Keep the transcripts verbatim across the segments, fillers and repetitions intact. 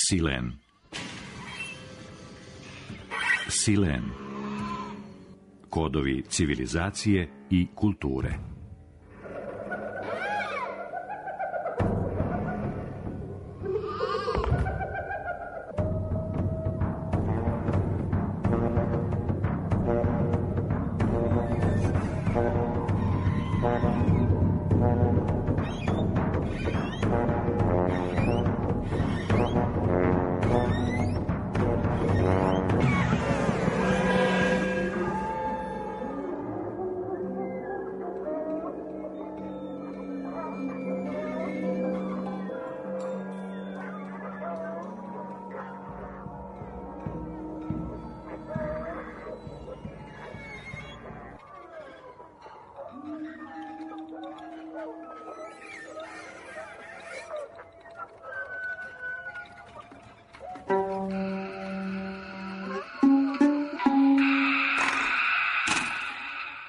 Silen. Silen. Kodovi civilizacije i kulture.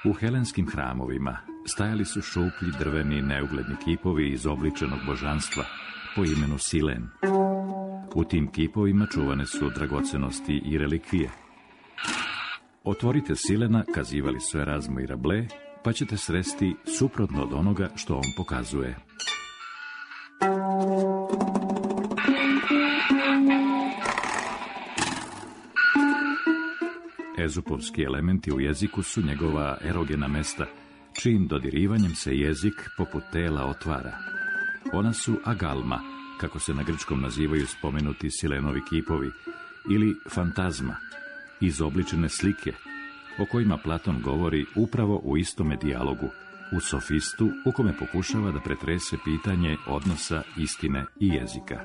U helenskim hramovima stajali su šuplji drveni neugledni kipovi izobličenog božanstva po imenu Silen. U tim kipovima čuvane su dragocenosti i relikvije. Otvorite Silena, kazivali su Erazmo i Rabelais, pa ćete sresti suprotno od onoga što on pokazuje. Ezupovski elementi u jeziku su njegova erogena mesta, čijim dodirivanjem se jezik poput tela otvara. Ona su agalma, kako se na grčkom nazivaju spomenuti Silenovi kipovi, ili fantazma, izobličene slike, o kojima Platon govori upravo u istome dijalogu, u Sofistu, u kome pokušava da pretrese pitanje odnosa istine i jezika.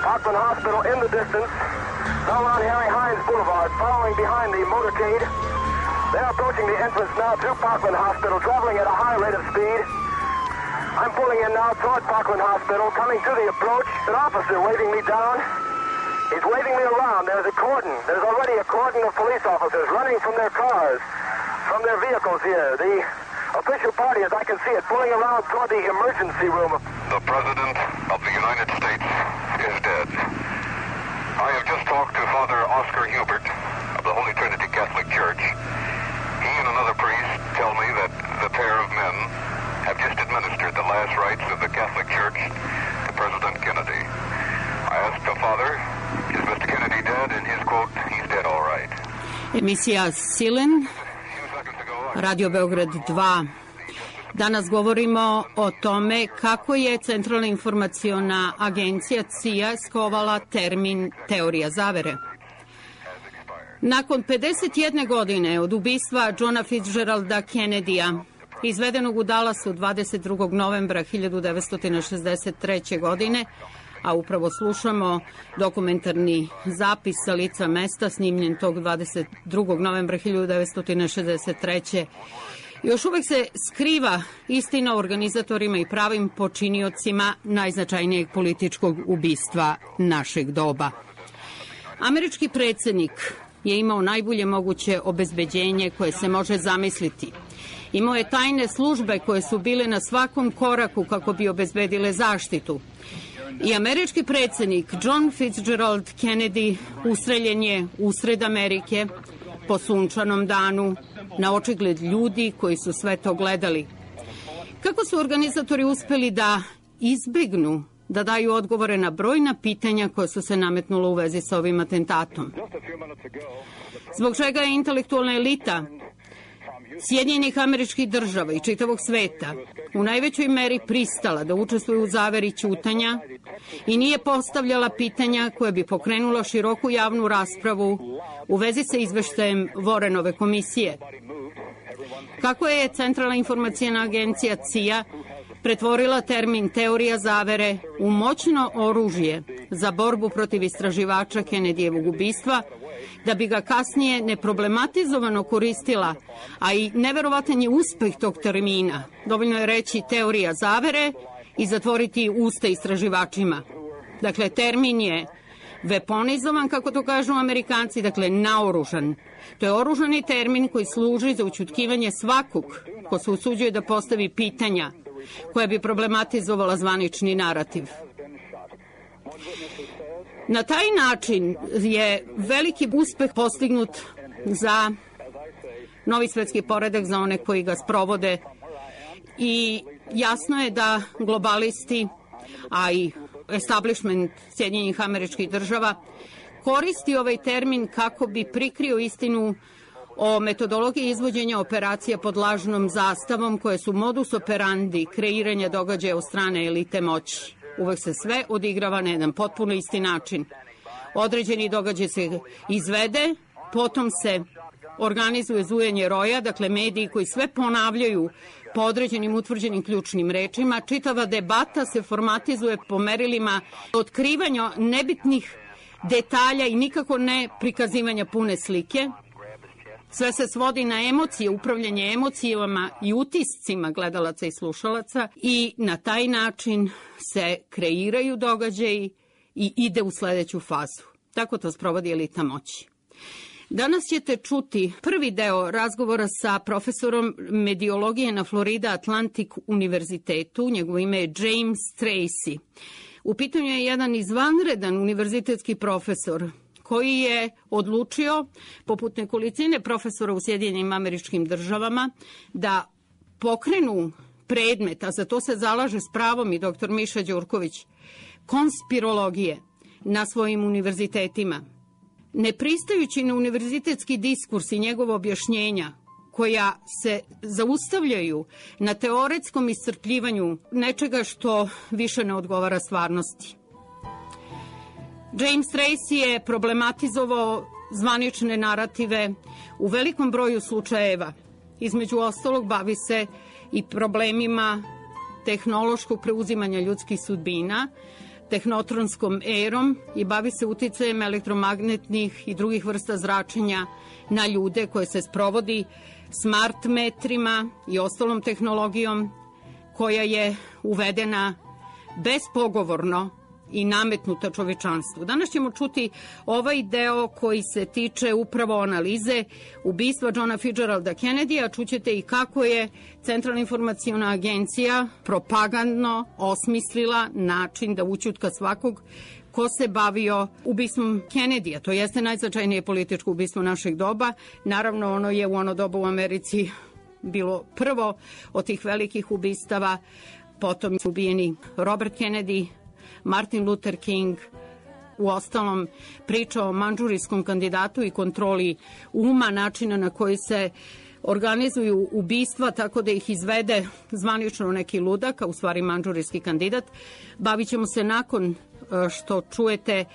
Parkland Hospital in the distance. Now on Harry Hines Boulevard, following behind the motorcade. They're approaching the entrance now to Parkland Hospital, traveling at a high rate of speed. I'm pulling in now toward Parkland Hospital, coming to the approach. An officer waving me down. He's waving me around. There's a cordon. There's already a cordon of police officers running from their cars, from their vehicles here. The official party, as I can see it, pulling around toward the emergency room. The President of the United States is dead. I have just talked to Father Oscar Hubert of the Holy Trinity Catholic Church. He and another priest tell me that the pair of men have just administered the last rites of the Catholic Church to President Kennedy. I asked the Father, is Mister Kennedy dead? And his quote, he's dead all right. Emisija Silen, Radio Beograd dva. Danas govorimo o tome kako je Centralna informaciona agencija C I A skovala termin teorija zavere. Nakon pedeset jedne godine od ubistva Johna Fitzgeralda Kennedya, izvedenog u Dallasu dvadeset drugog novembra hiljadu devetsto šezdeset treće. godine, a upravo slušamo dokumentarni zapis sa lica mesta snimljen tog dvadeset drugog novembra hiljadu devetsto šezdeset treće. Još uvek se skriva istina o organizatorima i pravim počiniocima najznačajnijeg političkog ubistva našeg doba. Američki predsjednik je imao najbolje moguće obezbeđenje koje se može zamisliti. Imao je tajne službe koje su bile na svakom koraku kako bi obezbedile zaštitu. I američki predsjednik John Fitzgerald Kennedy ustreljen je usred Amerike po sunčanom danu, na očigled ljudi koji su sve to gledali. Kako su organizatori uspeli da izbegnu da daju odgovore na brojna pitanja koja su se nametnula u vezi sa ovim atentatom? Zbog čega je intelektualna elita Sjedinjenih Američkih Država i čitavog sveta u najvećoj meri pristala da učestvuje u zaveri ćutanja i nije postavljala pitanja koja bi pokrenula široku javnu raspravu u vezi sa izveštajem Warrenove komisije? Kako je Centralna informacijna agencija C I A pretvorila termin teorija zavere u moćno oružje za borbu protiv istraživača Kennedyjevog ubistva, da bi ga kasnije neproblematizovano koristila, a i neverovatan je uspeh tog termina. Dovoljno je reći teorija zavere i zatvoriti usta istraživačima. Dakle, termin je weaponizovan, kako to kažu Amerikanci, dakle naoružan. To je oružani termin koji služi za ućutkivanje svakog ko se usuđuje da postavi pitanja koja bi problematizovala zvanični narativ. Na taj način je veliki uspeh postignut za novi svetski poredak, za one koji ga sprovode, i jasno je da globalisti, a i establishment Sjedinjenih Američkih Država koristi ovaj termin kako bi prikrio istinu o metodologiji izvođenja operacija pod lažnom zastavom, koje su modus operandi kreiranja događaja od strane elite moći. Uvek se sve odigrava na jedan potpuno isti način. Određeni događaj se izvede, potom se organizuje zujanje roja, dakle mediji koji sve ponavljaju po određenim utvrđenim ključnim rečima. Čitava debata se formatizuje po merilima otkrivanja nebitnih detalja i nikako ne prikazivanja pune slike. Sve se svodi na emocije, upravljanje emocijama i utiscima gledalaca i slušalaca, i na taj način se kreiraju događaji i ide u sledeću fazu. Tako to sprovodi elita moći. Danas ćete čuti prvi deo razgovora sa profesorom mediologije na Florida Atlantic univerzitetu. Njegovo ime je James Tracy. U pitanju je jedan izvanredan univerzitetski profesor koji je odlučio, poput nekolicine profesora u Sjedinjenim Američkim Državama, da pokrenu predmet, a za to se zalaže s pravom i doktor Miša Đurković, konspirologije na svojim univerzitetima. Ne pristajući na univerzitetski diskurs i njegova objašnjenja, koja se zaustavljaju na teoretskom iscrpljivanju nečega što više ne odgovara stvarnosti. James Tracy je problematizovao zvanične narative u velikom broju slučajeva. Između ostalog bavi se i problemima tehnološkog preuzimanja ljudskih sudbina, tehnotronskom erom, i bavi se uticajem elektromagnetnih i drugih vrsta zračenja na ljude, koje se sprovodi smart metrima i ostalom tehnologijom koja je uvedena bespogovorno i nametnuta čovečanstvu. Danas ćemo čuti ovaj deo koji se tiče upravo analize ubistva Johna Fitzgeralda Kennedyja. Čućete i kako je Centralna informacijna agencija propagandno osmislila način da ućutka svakog ko se bavio ubistvom Kennedyja. To jeste najznačajnije političko ubistvo našeg doba. Naravno, ono je u ono doba u Americi bilo prvo od tih velikih ubistava. Potom su ubijeni Robert Kennedy, Martin Luther King, u ostalom priča o mandžurijskom kandidatu i kontroli uma, načina na koji se organizuju ubistva tako da ih izvede zvanično neki ludak, a u stvari mandžurijski kandidat. Bavit ćemo se, nakon što čujete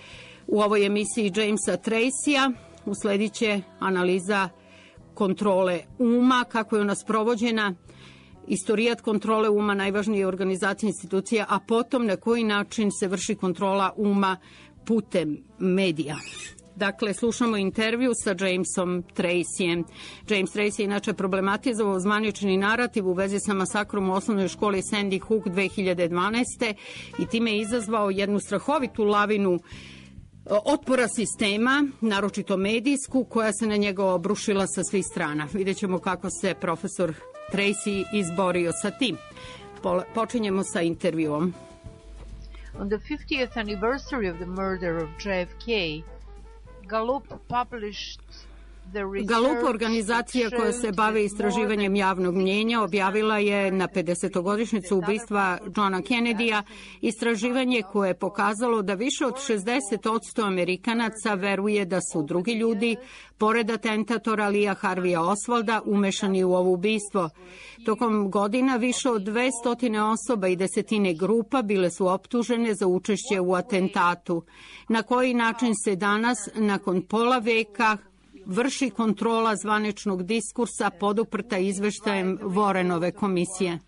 u ovoj emisiji Jamesa Tracyja, usledit će analiza kontrole uma, kako je ona sprovođena, istorijat kontrole uma, najvažnije organizacije institucija, a potom na koji način se vrši kontrola uma putem medija. Dakle, slušamo intervju sa Jamesom Tracyjem. James Tracy je inače problematizovao zvanični narativ u vezi sa masakrom u osnovnoj školi Sandy Hook dve hiljade dvanaeste. i time je izazvao jednu strahovitu lavinu otpora sistema, naročito medijsku, koja se na njega obrušila sa svih strana. Vidjet ćemo kako se profesor Tracy izborio sa tim. Počinjemo sa intervjuom. On the fiftieth anniversary of the murder of J F K, Gallup published Gallup, organizacija koja se bavi istraživanjem javnog mnjenja, objavila je na pedesetogodišnjicu ubistva Johna Kennedyja istraživanje koje je pokazalo da više od šezdeset posto Amerikanaca veruje da su drugi ljudi, pored atentatora Leea Harveya Oswalda, umešani u ovo ubistvo. Tokom godina više od dvesta osoba i desetine grupa bile su optužene za učešće u atentatu. Na koji način se danas, nakon pola veka vrši kontrola zvaničnog diskursa poduprta izveštajem Warrenove komisije.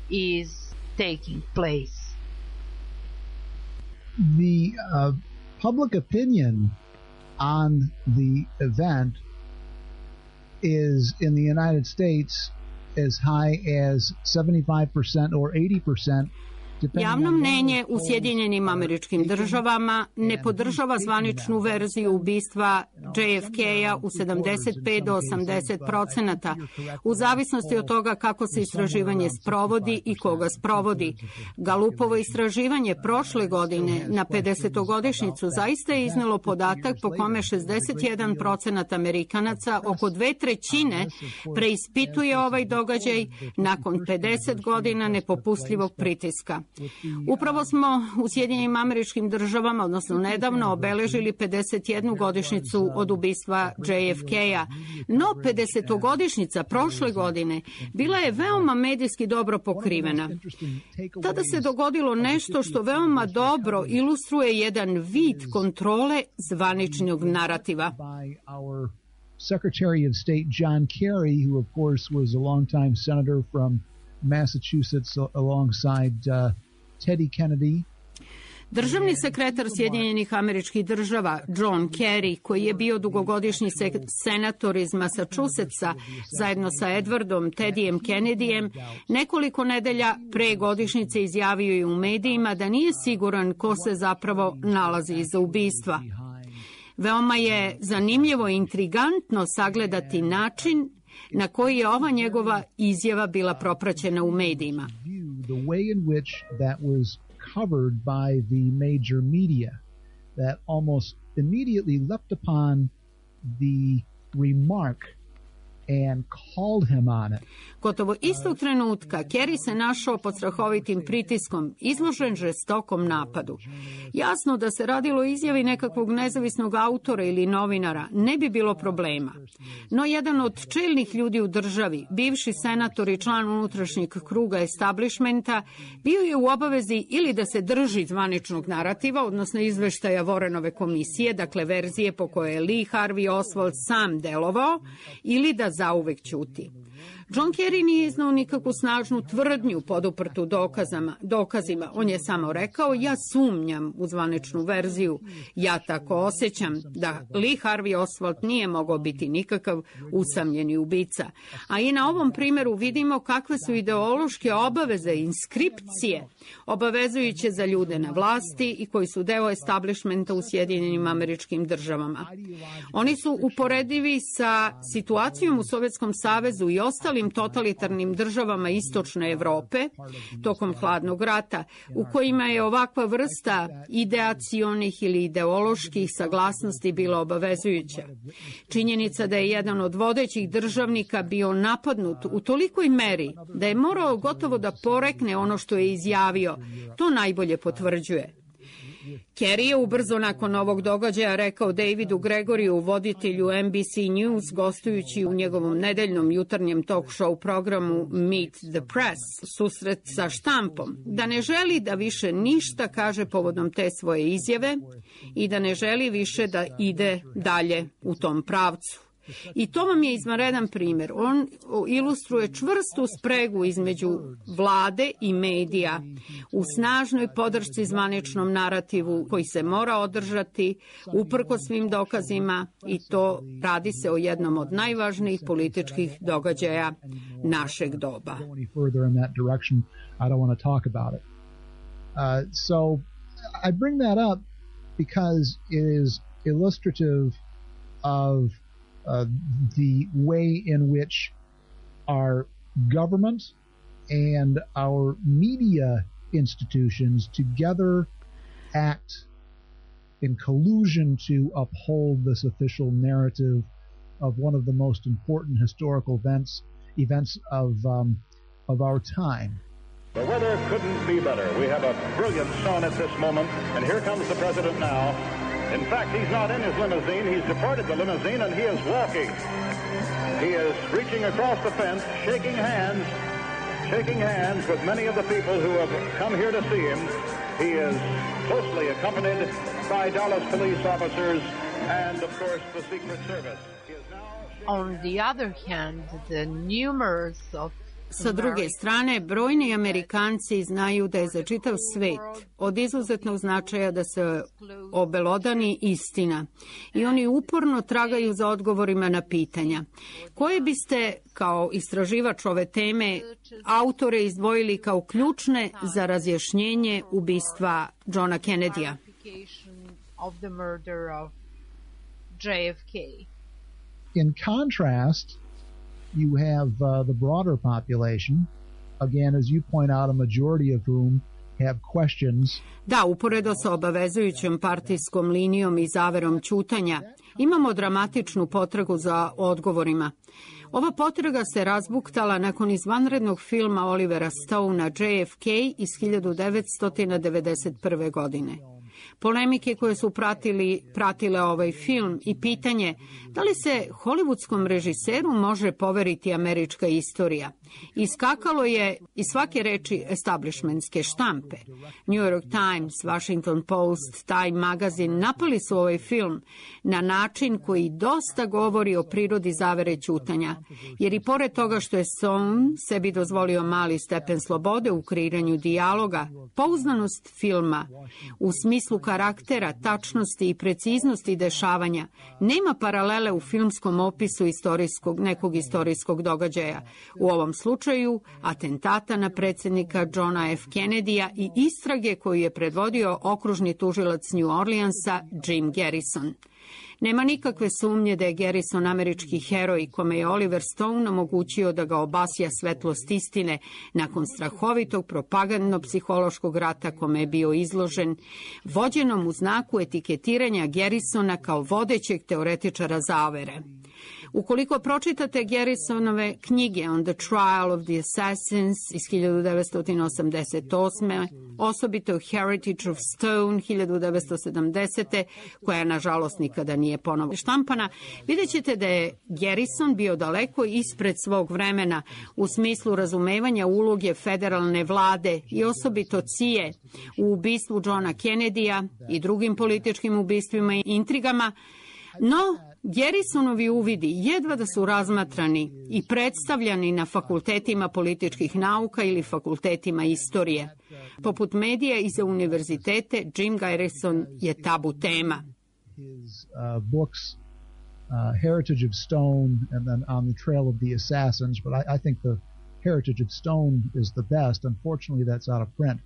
Is taking place. The uh, public opinion on the event is in the United States as high as seventy-five percent or eighty percent. Javno mnenje u Sjedinjenim Američkim Državama ne podržava zvaničnu verziju ubistva J F K-a u sedamdeset pet do osamdeset procenata, u zavisnosti od toga kako se istraživanje sprovodi i koga sprovodi. Galupovo istraživanje prošle godine na pedesetogodišnjicu zaista je iznelo podatak po kome šezdeset jedan procenat Amerikanaca, oko dve trećine, preispituje ovaj događaj nakon pedeset godina nepopustljivog pritiska. Upravo smo u Sjedinjenim Američkim Državama, odnosno nedavno, obeležili pedeset jednu godišnjicu od ubistva J F K-a. No, pedesetogodišnjica prošle godine bila je veoma medijski dobro pokrivena. Tada se dogodilo nešto što veoma dobro ilustruje jedan vid kontrole zvaničnog narativa. Secretary of State John Kerry, who of course was a longtime senator from Massachusetts alongside uh, Teddy Kennedy. Državni sekretar Sjedinjenih Američkih Država John Kerry, koji je bio dugogodišnji senator iz Massachusettsa zajedno sa Edwardom Teddyjem Kennedyjem, nekoliko nedelja pre godišnjice izjavio je u medijima da nije siguran ko se zapravo nalazi iza ubistva. Veoma je zanimljivo i intrigantno sagledati način na koji je ova njegova izjava bila propraćena u medijima. The way in which that was covered by the major media that almost immediately leapt upon the remark and called him on it. Gotovo istog trenutka Kerry se našao pod strahovitim pritiskom, izložen žestokom napadu. Jasno da se radilo o izjavi nekakvog nezavisnog autora ili novinara, ne bi bilo problema. No jedan od čelnih ljudi u državi, bivši senator i član unutrašnjeg kruga establishmenta, bio je u obavezi ili da se drži zvaničnog narativa, odnosno izveštaja Warrenove komisije, dakle verzije po kojoj je Lee Harvey Oswald sam delovao, ili da zauvek ćuti. John Kerry nije iznao nikakvu snažnu tvrdnju poduprtu dokazama, dokazima. On je samo rekao, ja sumnjam u zvaničnu verziju. Ja tako osjećam da Lee Harvey Oswald nije mogao biti nikakav usamljeni ubica. A i na ovom primjeru vidimo kakve su ideološke obaveze i inskripcije obavezujuće za ljude na vlasti i koji su deo establishmenta u Sjedinjenim Američkim Državama. Oni su uporedivi sa situacijom u Sovjetskom savezu i ostalim totalitarnim državama istočne Evrope tokom hladnog rata, u kojima je ovakva vrsta ideacionih ili ideoloških saglasnosti bila obavezujuća. Činjenica da je jedan od vodećih državnika bio napadnut u tolikoj meri da je morao gotovo da porekne ono što je izjavio, to najbolje potvrđuje. Kerry je ubrzo nakon ovog događaja rekao Davidu Gregoriju, voditelju N B C News, gostujući u njegovom nedeljnom jutarnjem talk show programu Meet the Press, susret sa štampom, da ne želi da više ništa kaže povodom te svoje izjave i da ne želi više da ide dalje u tom pravcu. I to vam je izvanredan primjer. On ilustruje čvrstu spregu između vlade i medija u snažnoj podršci zvaničnom narativu koji se mora održati uprkos svim dokazima, i to radi se o jednom od najvažnijih političkih događaja našeg doba. So I bring that up because it is illustrative of Uh, the way in which our government and our media institutions together act in collusion to uphold this official narrative of one of the most important historical events events of um, of our time. The weather couldn't be better. We have a brilliant sun at this moment, and here comes the president now. In fact, he's not in his limousine. He's departed the limousine, and he is walking. He is reaching across the fence, shaking hands, shaking hands with many of the people who have come here to see him. He is closely accompanied by Dallas police officers and, of course, the Secret Service. He is now... On the other hand, the numerous of Sa druge strane, brojni Amerikanci znaju da je za čitav svet od izuzetnog značaja da se obelodani istina i oni uporno tragaju za odgovorima na pitanja. Koje biste, kao istraživač ove teme, autore izdvojili kao ključne za razjašnjenje ubistva Johna Kennedya? of the murder of J F K. In contrast, you have uh, the broader population, again, as you point out, a majority of whom have questions. Da, uporedo sa obavezujućom partijskom linijom i zaverom ćutanja, imamo dramatičnu potragu za odgovorima. Ova potraga se razbuktala nakon izvanrednog filma Olivera Stonea J F K iz hiljadu devetsto devedeset prve. godine. Polemike koje su pratili, pratile ovaj film i pitanje da li se hollywoodskom režiseru može poveriti američka istorija. Iskakalo je iz svake reči establishmentske štampe. New York Times, Washington Post, Time Magazine napali su ovaj film na način koji dosta govori o prirodi zavere ćutanja, jer i pored toga što je Stone sebi dozvolio mali stepen slobode u kreiranju dijaloga, pouzdanost filma u smislu karaktera, tačnosti i preciznosti dešavanja nema paralele u filmskom opisu istorijskog, nekog istorijskog događaja. U ovom slučaju atentata na predsjednika Johna F. Kennedyja i istrage koju je predvodio okružni tužilac New Orleansa Jim Garrison. Nema nikakve sumnje da je Garrison američki heroj kome je Oliver Stone omogućio da ga obasja svetlost istine nakon strahovitog propagandno-psihološkog rata kome je bio izložen, vođenom u znaku etiketiranja Garrisona kao vodećeg teoretičara zavere. Ukoliko pročitate Garrisonove knjige On the Trial of the Assassins iz hiljadu devetsto osamdeset osme. osobito Heritage of Stone hiljadu devetsto sedamdesete. koja nažalost nikada nije ponovo štampana, vidjet ćete da je Garrison bio daleko ispred svog vremena u smislu razumevanja uloge federalne vlade i osobito C I A u ubistvu Johna Kennedyja i drugim političkim ubistvima i intrigama, no Garrisonovi uvidi jedva da su razmatrani i predstavljani na fakultetima političkih nauka ili fakultetima istorije. Poput medija i za univerzitete, Jim Garrison je tabu tema. His uh, books, uh, Heritage of Stone and then On the Trail of the Assassins, but I, I think the Heritage of Stone is the best. Unfortunately, that's out of print.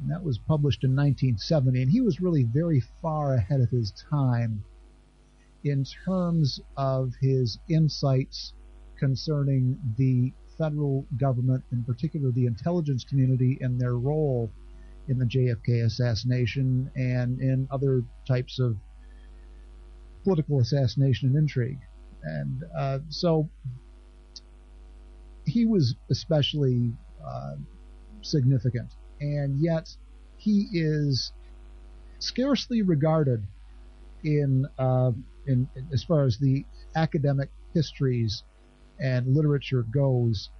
And that was published in nineteen seventy, and he was really very far ahead of his time in terms of his insights concerning the federal government, in particular the intelligence community, and their role in the J F K assassination and in other types of political assassination and intrigue. And uh, so he was especially uh, significant, and yet he is scarcely regarded in, uh, in, in as far as the academic histories and literature goes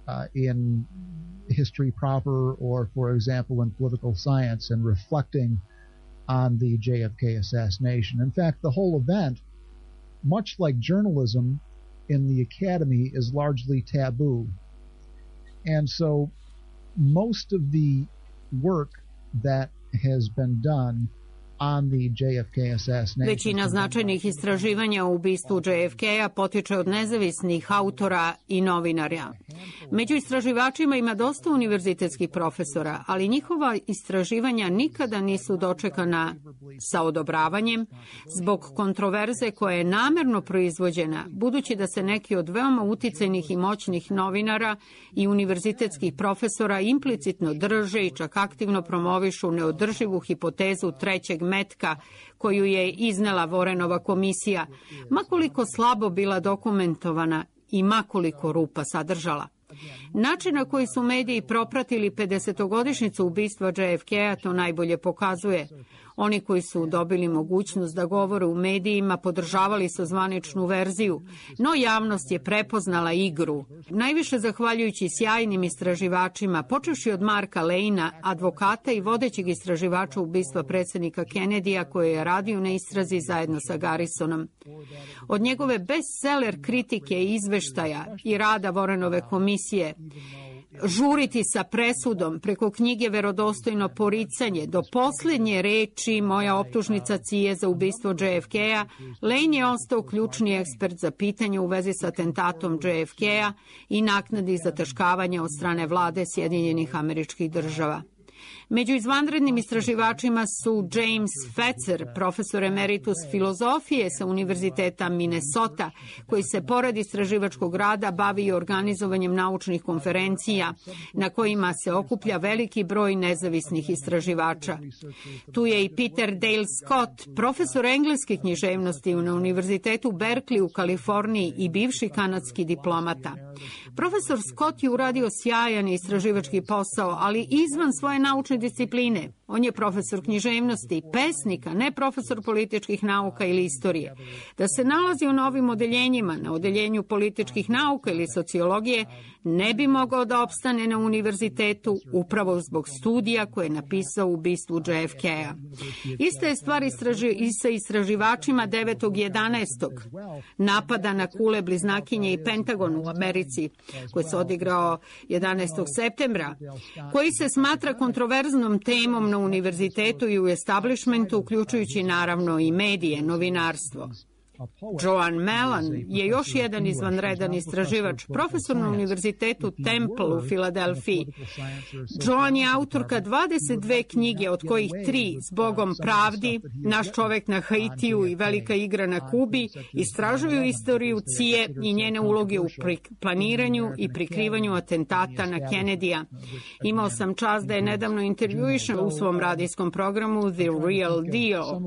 uh, in history proper, or, for example, in political science and reflecting on the J F K assassination. In fact, the whole event, much like journalism in the academy, is largely taboo. And so most of the work that has been done on the J F K assassination. Većina značajnih istraživanja o ubistvu J F K-a potiče od nezavisnih autora i novinara. Među istraživačima ima dosta univerzitetskih profesora, ali njihova istraživanja nikada nisu dočekana sa odobravanjem zbog kontroverze koja je namerno proizvođena, budući da se neki od veoma uticajnih i moćnih novinara i univerzitetskih profesora implicitno drže i čak aktivno promovišu neodrživu hipotezu trećeg metka koju je iznela Warrenova komisija, makoliko slabo bila dokumentovana i makoliko rupa sadržala. Način na koji su mediji propratili pedesetogodišnjicu ubistva J F K-a to najbolje pokazuje. Oni koji su dobili mogućnost da govore u medijima podržavali su zvaničnu verziju, no javnost je prepoznala igru. Najviše zahvaljujući sjajnim istraživačima, počevši od Marka Lejna, advokata i vodećeg istraživača ubistva predsjednika Kennedyja koji je radio na istrazi zajedno sa Garrisonom. Od njegove bestseller kritike i izveštaja i rada Warrenove komisije, žuriti sa presudom preko knjige Verodostojno poricanje do posljednje reči Moja optužnica C I A za ubistvo J F K-a, Lane je ostao ključni ekspert za pitanje u vezi sa atentatom J F K-a i naknadnih zataškavanja od strane vlade Sjedinjenih Američkih Država. Među izvanrednim istraživačima su James Fetzer, profesor emeritus filozofije sa Univerziteta Minnesota, koji se pored istraživačkog rada bavi i organizovanjem naučnih konferencija na kojima se okuplja veliki broj nezavisnih istraživača. Tu je i Peter Dale Scott, profesor engleske književnosti na Univerzitetu Berkeley u Kaliforniji i bivši kanadski diplomata. Profesor Scott je uradio sjajan istraživački posao, ali izvan svoje naučne discipline. On je profesor književnosti, pesnika, ne profesor političkih nauka ili istorije. Da se nalazi u novim odeljenjima, na odeljenju političkih nauka ili sociologije, ne bi mogao da opstane na univerzitetu upravo zbog studija koje je napisao u ubistvu J F K-a. Ista je stvar istraži, i sa istraživačima devetog jedanaestog napada na kule bliznakinje i Pentagon u Americi, koji se odigrao jedanaestog septembra, koji se smatra kontroverznom temom na univerzitetu i u establishmentu, uključujući naravno i medije, novinarstvo. Joan Mellon je još jedan izvanredan istraživač, profesor na Univerzitetu Temple u Filadelfiji. Joan je autorka dvadeset dve knjige, od kojih tri Zbogom pravdi, Naš čovek na Haitiju i Velika igra na Kubi, istražuju istoriju C I A i njene uloge u planiranju i prikrivanju atentata na Kennedyja. Imao sam čast da je nedavno intervjuišem u svom radijskom programu The Real Deal.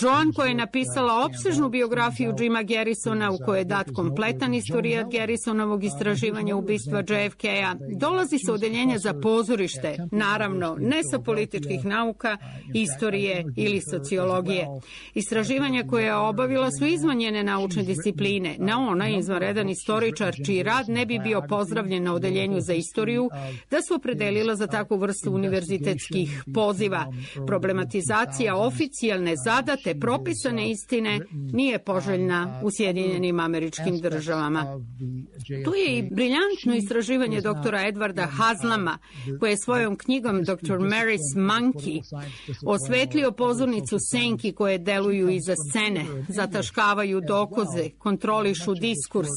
Joan, koja je napisala opsežnu biografiju Jima Garrisona u kojoj je dat kompletan istorijat Garrisonovog istraživanja ubistva J F K-a, dolazi sa odeljenja za pozorište, naravno ne sa političkih nauka, istorije ili sociologije. Istraživanja koje je obavila su izvan njene naučne discipline, na ona izvanredan istoričar čiji rad ne bi bio pozdravljen na odeljenju za istoriju da su opredelila za takvu vrstu univerzitetskih poziva. Problematizacija oficijalne, zadate, propisane istine nije poželjna u Sjedinjenim Američkim Državama. Tu je i briljantno istraživanje doktora Edwarda Haslama, koje je svojom knjigom doktor Mary's Monkey osvetlio pozornicu senki koje deluju iza scene, zataškavaju dokaze, kontrolišu diskurs,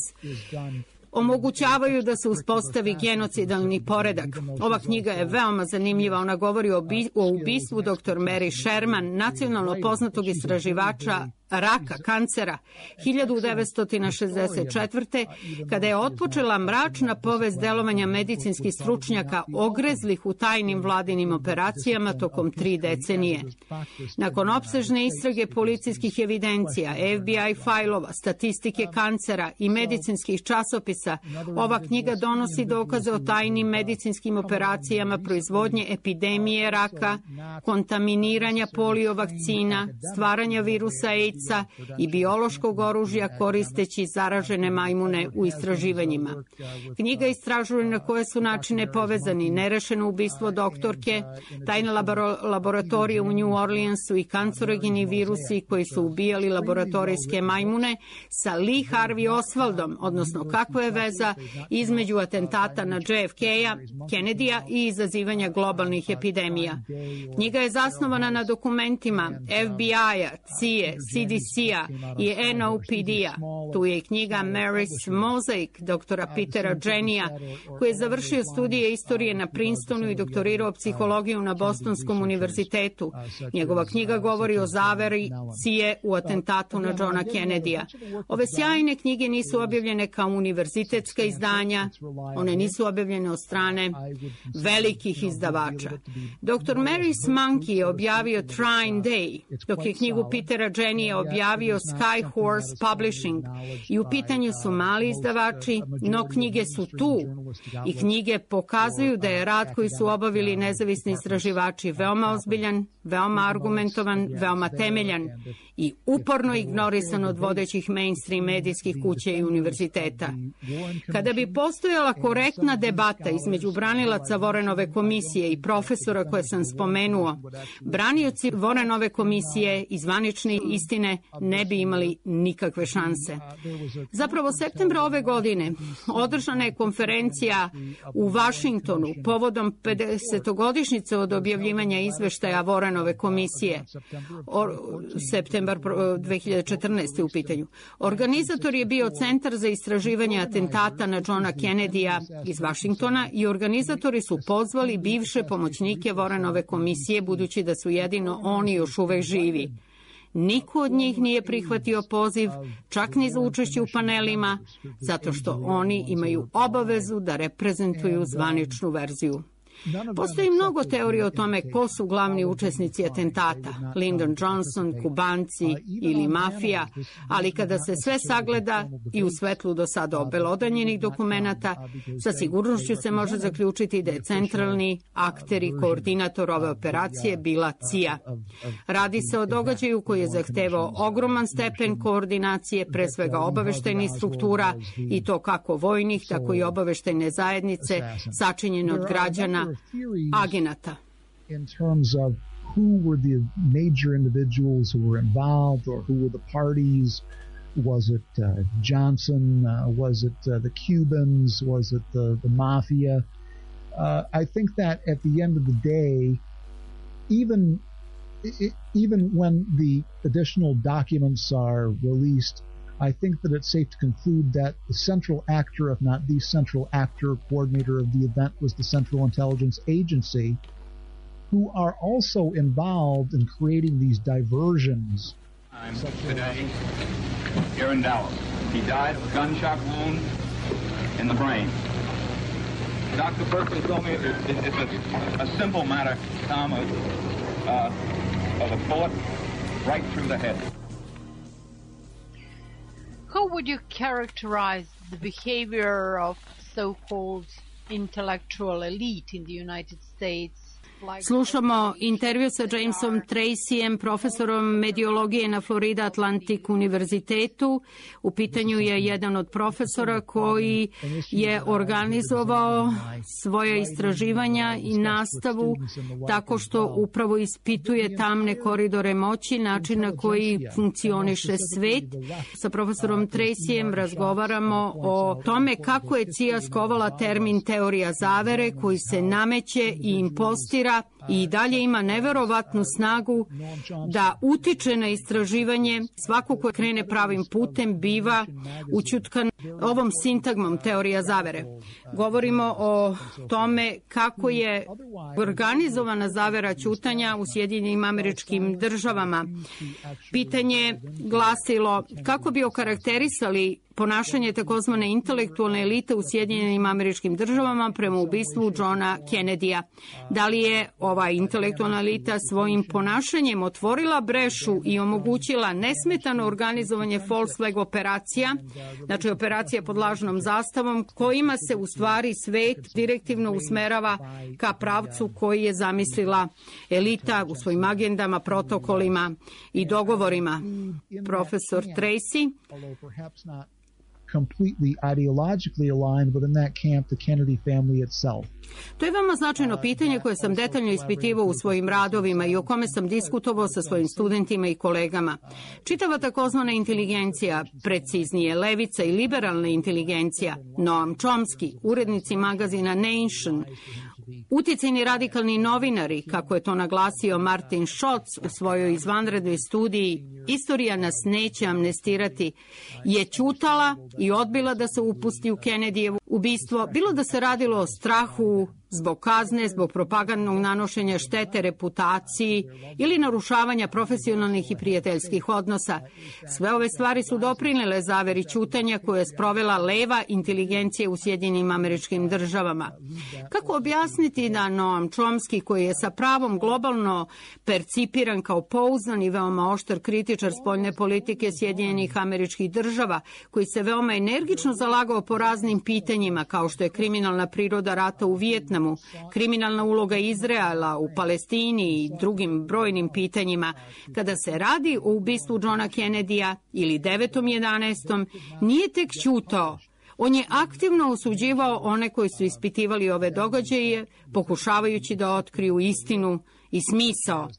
omogućavaju da se uspostavi genocidalni poredak. Ova knjiga je veoma zanimljiva. Ona govori o, bi, o ubistvu doktor Mary Sherman, nacionalno poznatog istraživača raka, kancera, hiljadu devetsto šezdeset četvrte. kada je otpočela mračna povest delovanja medicinskih stručnjaka ogrezlih u tajnim vladinim operacijama tokom tri decenije. Nakon opsežne istrage policijskih evidencija, F B I fajlova, statistike kancera i medicinskih časopisa, ova knjiga donosi dokaze o tajnim medicinskim operacijama proizvodnje epidemije raka, kontaminiranja polio vakcina, stvaranja virusa AIDS i biološkog oružja koristeći zaražene majmune u istraživanjima. Knjiga istražuje na koje su načine povezani nerešeno ubistvo doktorke, tajne laboratorije u New Orleansu i kancerogeni virusi koji su ubijali laboratorijske majmune sa Lee Harvey Oswaldom, odnosno kakva je veza između atentata na J F K-a, Kennedyja i izazivanja globalnih epidemija. Knjiga je zasnovana na dokumentima F B I-a, C I A, C D C-a i N O P D-a. Tu je i knjiga Mary's Mosaic doktora Petera Jenija, koji je završio studije istorije na Princetonu i doktorirao psihologiju na Bostonskom univerzitetu. Njegova knjiga govori o zaveri C I A u atentatu na Johna Kennedyja. Ove sjajne knjige nisu objavljene kao univerzitetska izdanja, one nisu objavljene od strane velikih izdavača. doktor Mary's Monkey je objavio Trine Day, dok je knjigu Petera Jenija objavio Sky Horse Publishing i u pitanju su mali izdavači, no knjige su tu i knjige pokazuju da je rad koji su obavili nezavisni istraživači veoma ozbiljan, veoma argumentovan, veoma temeljan i uporno ignorisan od vodećih mainstream medijskih kuća i univerziteta. Kada bi postojala korektna debata između branilaca Warrenove komisije i profesora koje sam spomenuo, branioci Warrenove komisije i zvanične istine ne bi imali nikakve šanse. Zapravo, septembra ove godine održana je konferencija u Vašingtonu povodom pedesetogodišnjice od objavljivanja izveštaja Warrenove komisije. O, septembar dve hiljade četrnaeste. u pitanju. Organizator je bio Centar za istraživanje atentata na Johna Kennedyja iz Vašingtona i organizatori su pozvali bivše pomoćnike Warrenove komisije, budući da su jedino oni još uvek živi. Niko od njih nije prihvatio poziv, čak ni za učešće u panelima, zato što oni imaju obavezu da reprezentuju zvaničnu verziju. Postoji mnogo teorija o tome ko su glavni učesnici atentata, Lyndon Johnson, Kubanci ili mafija, ali kada se sve sagleda i u svetlu do sada obelodanjenih dokumenata, sa sigurnošću se može zaključiti da je centralni akter i koordinator ove operacije bila C I A. Radi se o događaju koji je zahtevao ogroman stepen koordinacije, pre svega obaveštajnih struktura, i to kako vojnih, tako i obaveštajne zajednice, sačinjene od građana, agenata. In terms of who were the major individuals who were involved or who were the parties. Was it uh, Johnson? Uh, was it uh, the Cubans? Was it the, the mafia? Uh, I think that at the end of the day, even it, even when the additional documents are released, I think that it's safe to conclude that the central actor, if not the central actor, coordinator of the event was the Central Intelligence Agency, who are also involved in creating these diversions. Today, here in Dallas, he died of a gunshot wound in the brain. Doctor Berkeley told me it, it, it's a, a simple matter, Tom, of, uh, of a bullet right through the head. How would you characterize the behavior of so-called intellectual elite in the United States? Slušamo intervju sa Jamesom Tracyjem, profesorom mediologije na Florida Atlantic univerzitetu. U pitanju je jedan od profesora koji je organizovao svoja istraživanja i nastavu tako što upravo ispituje tamne koridore moći, način na koji funkcioniše svet. Sa profesorom Tracyjem razgovaramo o tome kako je C I A skovala termin teorija zavere koji se nameće i impostira i dalje ima neverovatnu snagu da utiče na istraživanje. Svako ko krene pravim putem biva ućutkan ovom sintagmom teorija zavere. Govorimo o tome kako je organizovana zavera ćutanja u Sjedinjenim Američkim Državama. Pitanje glasilo kako bi okarakterisali ponašanje takozvane intelektualne elite u Sjedinjenim Američkim Državama prema ubistvu Johna Kennedyja. Da li je ova intelektualna elita svojim ponašanjem otvorila brešu i omogućila nesmetano organizovanje false flag operacija, znači operacija pod lažnom zastavom, kojima se u stvari svet direktivno usmerava ka pravcu koji je zamislila elita u svojim agendama, protokolima i dogovorima. Profesor Tracy completely ideologically aligned within that camp the Kennedy family itself. To je veoma značajno pitanje koje sam detaljno ispitivao u svojim radovima i o kome sam diskutovao sa svojim studentima i kolegama. Čitava takozvana inteligencija, preciznije levica i liberalna inteligencija, Noam Chomsky, urednici magazina Nation, uticajni radikalni novinari, kako je to naglasio Martin Schotz u svojoj izvanrednoj studiji Istorija nas neće amnestirati, je ćutala i odbila da se upusti u Kennedyjevo ubistvo, bilo da se radilo o strahu zbog kazne, zbog propagandnog nanošenja štete reputaciji ili narušavanja profesionalnih i prijateljskih odnosa. Sve ove stvari su doprinele zaveri ćutanja koje je sprovela leva inteligencija u Sjedinjenim Američkim Državama. Kako objasniti da Noam Chomsky, koji je sa pravom globalno percipiran kao pouzdan i veoma oštar kritičar spoljne politike Sjedinjenih Američkih Država, koji se veoma energično zalagao po raznim pitanjima, kao što je kriminalna priroda rata u Vijetnamu, kriminalna uloga Izraela u Palestini i drugim brojnim pitanjima, kada se radi o ubistvu Johna Kennedya ili devetom jedanaestom, nije tek ćutao. On je aktivno osuđivao one koji su ispitivali ove događaje, pokušavajući da otkriju istinu i smisao.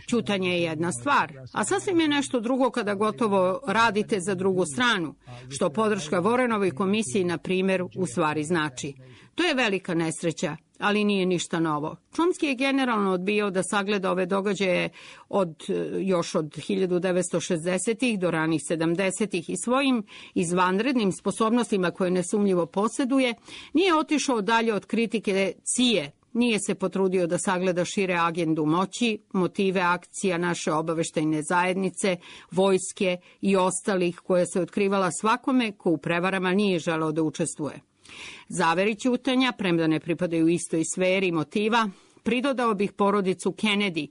Ćutanje je jedna stvar, a sasvim je nešto drugo kada gotovo radite za drugu stranu, što podrška Warrenovoj komisiji, na primjer, u stvari znači. To je velika nesreća, ali nije ništa novo. Chomsky je generalno odbijao da sagleda ove događaje od, još od hiljadu devetsto šezdesetih do ranih sedamdesetih i svojim izvanrednim sposobnostima koje nesumnjivo posjeduje, nije otišao dalje od kritike C I E. Nije se potrudio da sagleda šire agendu moći, motive akcija naše obaveštajne zajednice, vojske i ostalih koje se otkrivala svakome ko u prevarama nije želeo da učestvuje. Zaveri ćutanja, premda ne pripadaju istoj sferi motiva, pridodao bih porodicu Kennedy.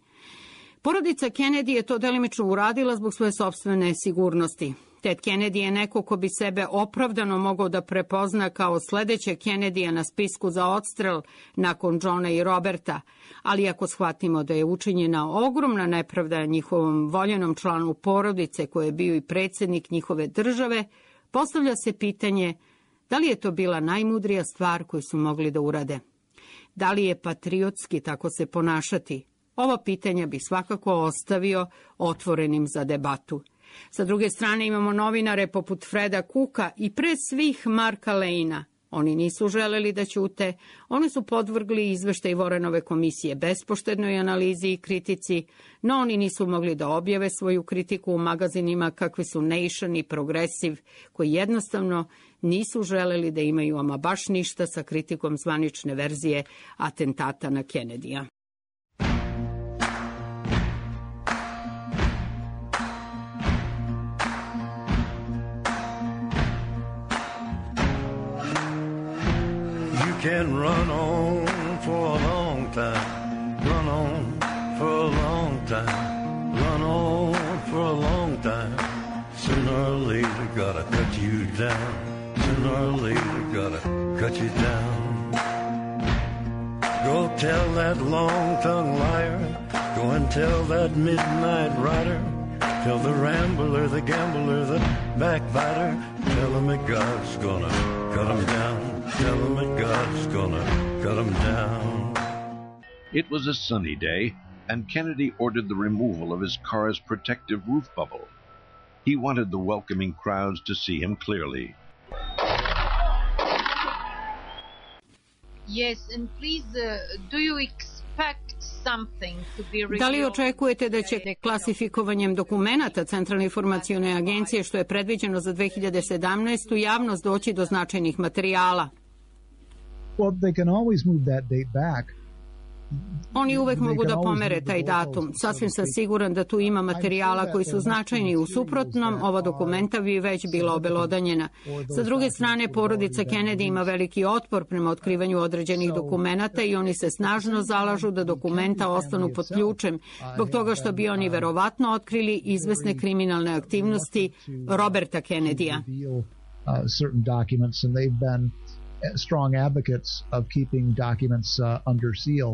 Porodica Kennedy je to delimično uradila zbog svoje sopstvene sigurnosti. Ted Kennedy je neko ko bi sebe opravdano mogao da prepozna kao sledeće Kennedya na spisku za odstrel nakon Johna i Roberta, ali ako shvatimo da je učinjena ogromna nepravda njihovom voljenom članu porodice koji je bio i predsjednik njihove države, postavlja se pitanje da li je to bila najmudrija stvar koju su mogli da urade. Da li je patriotski tako se ponašati? Ovo pitanja bi svakako ostavio otvorenim za debatu. Sa druge strane imamo novinare poput Freda Cooka i pre svih Marka Lejna. Oni nisu želeli da ćute, oni su podvrgli izveštaj Warrenove komisije bespoštednoj analizi i kritici, no oni nisu mogli da objave svoju kritiku u magazinima kakvi su Nation i Progressive, koji jednostavno nisu želeli da imaju ama baš ništa sa kritikom zvanične verzije atentata na Kennedyja. Can run on for a long time, run on for a long time, run on for a long time. Sooner or later gotta cut you down, sooner or later gotta cut you down. Go tell that long-tongued liar, go and tell that midnight rider, tell the rambler, the gambler, the backbiter, tell him that God's gonna cut him down. Tell him that God's gonna cut him down. It was a sunny day, and Kennedy ordered the removal of his car's protective roof bubble. He wanted the welcoming crowds to see him clearly. Yes, and please, uh, do you expect something to be revealed? Da li očekujete da će klasifikovanjem dokumenata Centralne informacione agencije, što je predviđeno za dve hiljade sedamnaestu. javnost doći do značajnih materijala? Well, they can always move that date back. Oni uvek mogu da pomere taj datum. Sasvim sam siguran da tu ima materijala koji su značajni. U suprotnom, ova dokumenta bi već bila obelodanjena. Sa druge strane, porodica Kennedy ima veliki otpor prema otkrivanju određenih dokumenata i oni se snažno zalažu da dokumenta ostanu pod ključem, zbog toga što bi oni verovatno otkrili izvesne kriminalne aktivnosti Roberta Kennedyja. Strong advocates of keeping documents uh, under seal,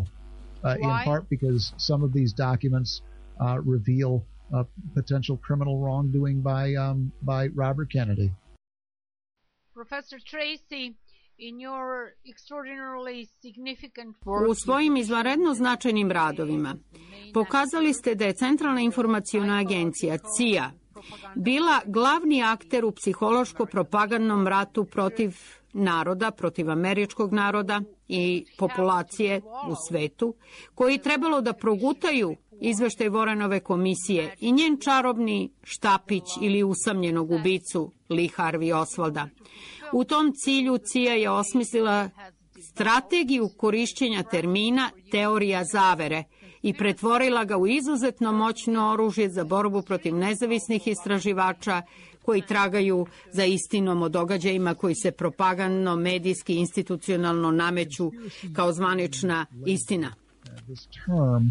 uh, in part because some of these documents uh, reveal uh, potential criminal wrongdoing by um, by Robert Kennedy. Professor Tracy, in your extraordinarily significant work, u svojim izvanredno značajnim radovima pokazali ste da je Centralna informaciona agencija C I A bila glavni akter u psihološko-propagandnom ratu protiv naroda, protiv američkog naroda i populacije u svetu, koji trebalo da progutaju izveštaj Warrenove komisije i njen čarobni štapić ili usamljenog ubicu Lee Harvey Oswalda. U tom cilju C I A je osmislila strategiju korišćenja termina teorija zavere i pretvorila ga u izuzetno moćno oružje za borbu protiv nezavisnih istraživača koji tragaju za istinom o događajima koji se propagandno, medijski, institucionalno nameću kao zvanična istina. This term uh,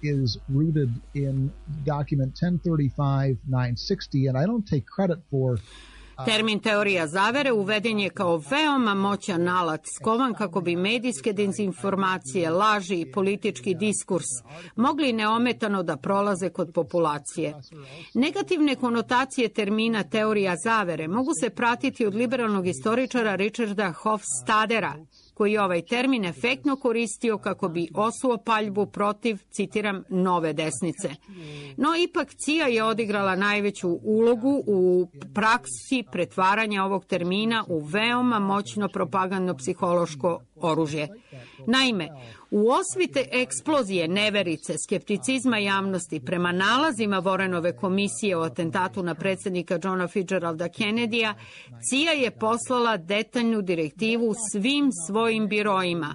is rooted in document ten thirty-five nine sixty, and I don't take credit for Termin teorija zavere uveden je kao veoma moćan alat skovan kako bi medijske dezinformacije, laži i politički diskurs mogli neometano da prolaze kod populacije. Negativne konotacije termina teorija zavere mogu se pratiti od liberalnog istoričara Richarda Hofstadera, koji je ovaj termin efektno koristio kako bi osuo paljbu protiv, citiram, nove desnice. No, ipak C I A je odigrala najveću ulogu u praksi pretvaranja ovog termina u veoma moćno propagandno-psihološko oružje. Naime, u osvite eksplozije neverice, skepticizma javnosti prema nalazima Warrenove komisije o atentatu na predsjednika Johna Fitzgeralda Kennedyja, C I A je poslala detaljnu direktivu svim svojim biroima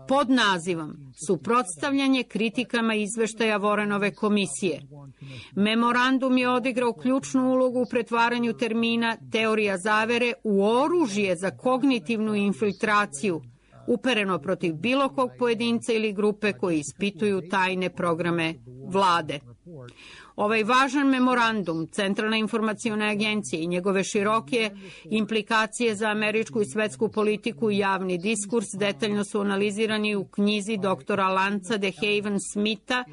pod nazivom Suprotstavljanje kritikama izveštaja Warrenove komisije. Memorandum je odigrao ključnu ulogu u pretvaranju termina teorija zavere u oružje za kognitivnu infiltraciju, upereno protiv bilo kog pojedinca ili grupe koji ispituju tajne programe vlade. Ovaj važan memorandum Centralna informaciona agencija i njegove široke implikacije za američku i svetsku politiku i javni diskurs detaljno su analizirani u knjizi doktora Lanca DeHaven Smitha,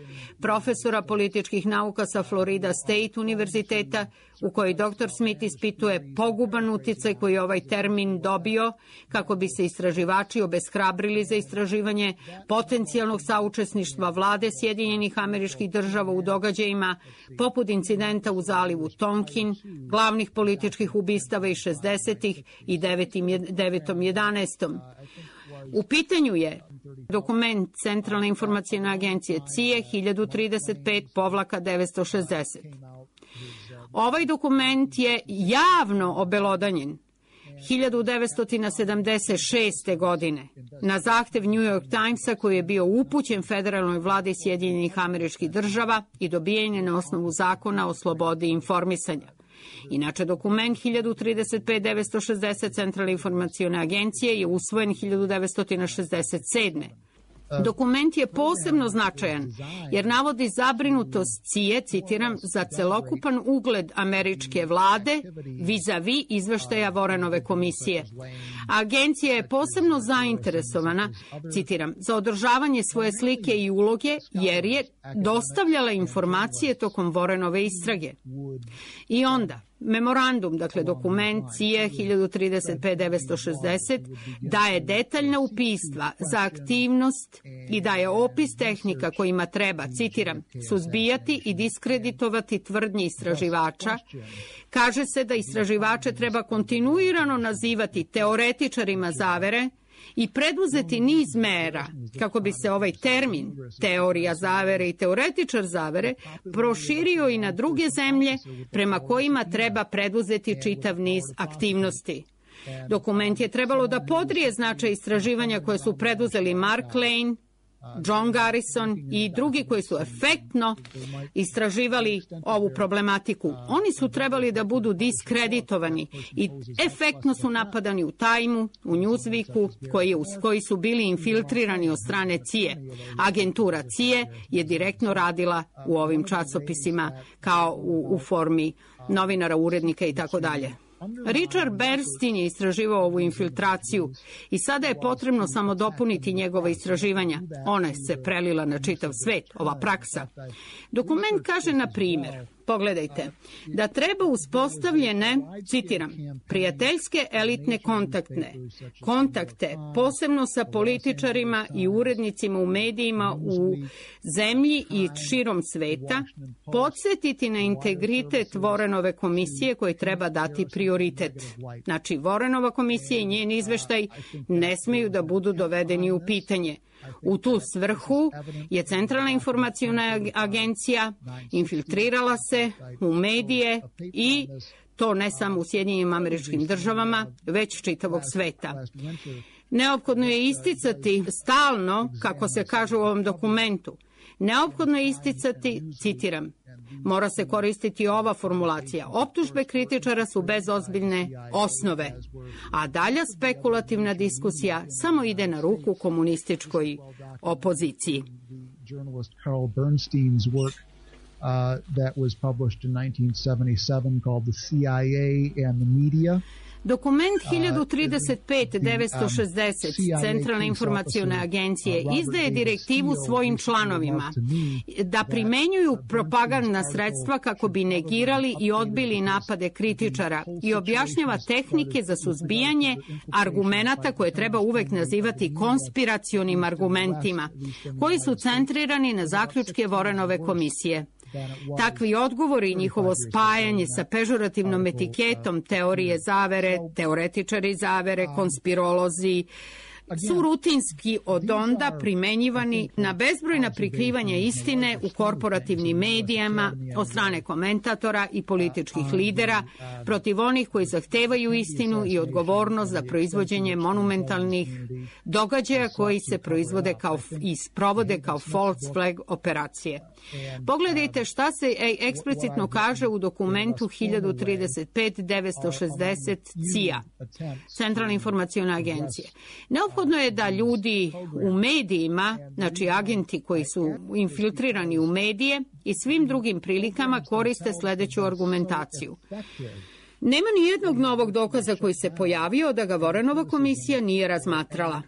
profesora političkih nauka sa Florida State univerziteta, u kojoj doktor Smith ispituje poguban uticaj koji je ovaj termin dobio kako bi se istraživači obeshrabrili za istraživanje potencijalnog saučesništva vlade Sjedinjenih Američkih Država u događajima poput incidenta u zalivu Tonkin, glavnih političkih ubistava iz šezdesetih i devetom jedanaestom U pitanju je dokument Centralne informacione agencije C I A hiljadu trideset pet devetsto šezdeset. Ovaj dokument je javno obelodanjen hiljadu devetsto sedamdeset šeste. godine na zahtev New York Timesa koji je bio upućen federalnoj vladi Sjedinjenih Američkih Država i dobijen je na osnovu zakona o slobodi informisanja. Inače, dokument hiljadu trideset pet devetsto šezdeset Centralne informacione agencije je usvojen hiljadu devetsto šezdeset sedme. Dokument je posebno značajan jer navodi zabrinutost C I A, citiram, za celokupan ugled američke vlade vis-a-vis izveštaja Warrenove komisije. Agencija je posebno zainteresovana, citiram, za održavanje svoje slike i uloge jer je dostavljala informacije tokom Warrenove istrage. I onda, memorandum, dakle dokument C I A hiljadu trideset pet devetsto šezdeset, daje detaljna upistva za aktivnost i daje opis tehnika kojima treba, citiram, suzbijati i diskreditovati tvrdnje istraživača. Kaže se da istraživače treba kontinuirano nazivati teoretičarima zavere i preduzeti niz mera kako bi se ovaj termin teorija zavere i teoretičar zavere proširio i na druge zemlje prema kojima treba preduzeti čitav niz aktivnosti. Dokument je trebalo da podrije značaj istraživanja koje su preduzeli Mark Lane, John Garrison i drugi koji su efektno istraživali ovu problematiku. Oni su trebali da budu diskreditovani i efektno su napadani u Timeu, u Newsweeku, koji, koji su bili infiltrirani od strane C I A. Agentura C I A je direktno radila u ovim časopisima kao u, u formi novinara, urednika i tako dalje. Richard Bernstein je istraživao ovu infiltraciju i sada je potrebno samo dopuniti njegova istraživanja. Ona se prelila na čitav svet, ova praksa. Dokument kaže, na primjer, pogledajte, da treba uspostavljene, citiram, prijateljske elitne kontaktne, kontakte, posebno sa političarima i urednicima u medijima u zemlji i širom sveta, podsjetiti na integritet Warrenove komisije koji treba dati prioritet. Znači, Warrenova komisija i njen izveštaj ne smeju da budu dovedeni u pitanje. U tu svrhu je Centralna informaciona agencija infiltrirala se u medije i To ne samo u Sjedinjenim Američkim Državama, već čitavog sveta. Neophodno je isticati stalno, kako se kaže u ovom dokumentu, neophodno je isticati, citiram, mora se koristiti ova formulacija. Optužbe kritičara su bez ozbiljne osnove, a dalja spekulativna diskusija samo ide na ruku komunističkoj opoziciji. Journalist Carl Bernstein's work uh, that was published in nineteen seventy-seven called The C I A and the Media. Dokument hiljadu trideset pet devetsto šezdeset Centralne informacione agencije izdaje direktivu svojim članovima da primenjuju propagandna sredstva kako bi negirali i odbili napade kritičara i objašnjava tehnike za suzbijanje argumenata koje treba uvek nazivati konspiracionim argumentima, koji su centrirani na zaključke Warrenove komisije. Takvi odgovori i njihovo spajanje sa pežorativnom etiketom teorije zavere, teoretičari zavere, konspirolozi, su rutinski od onda primenjivani na bezbrojna prikrivanja istine u korporativnim medijama od strane komentatora i političkih lidera protiv onih koji zahtevaju istinu i odgovornost za proizvođenje monumentalnih događaja koji se proizvode kao i sprovode kao false flag operacije. Pogledajte šta se eksplicitno kaže u dokumentu hiljadu trideset pet devetsto šezdeset C I A, Centralne informacione agencije. Neophodno je da ljudi u medijima, znači agenti koji su infiltrirani u medije i svim drugim prilikama koriste sledeću argumentaciju. Nema ni jednog novog dokaza koji se pojavio da ga Warrenova komisija nije razmatrala.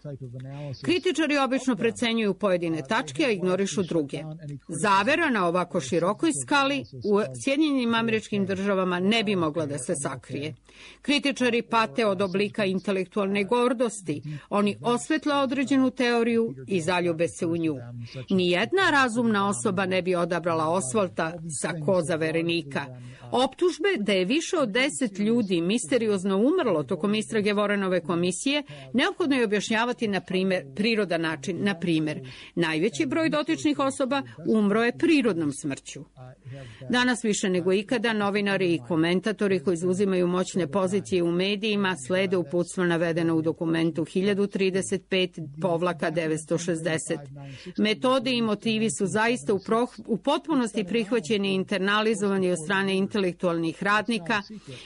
Kritičari obično precenjuju pojedine tačke, a ignorišu druge. Zavera na ovako širokoj skali u Sjedinjenim Američkim Državama ne bi mogla da se sakrije. Kritičari pate od oblika intelektualne gordosti. Oni osvetle određenu teoriju i zaljube se u nju. Nijedna razumna osoba ne bi odabrala Osvalta sa koza verenika. Optužbe da je više od deset ljudi misteriozno umrlo tokom istrage Warrenove komisije neophodno je objašnjavati na primer, prirodan način. Na primer, najveći broj dotičnih osoba umro je prirodnom smrću. Danas više nego ikada novinari i komentatori koji zauzimaju moćne pozicije u medijima slede uputstva navedeno u dokumentu hiljadu trideset pet devetsto šezdeset. Metode i motivi su zaista u, pro, u potpunosti prihvaćeni i internalizovani od strane intelektualnih radnika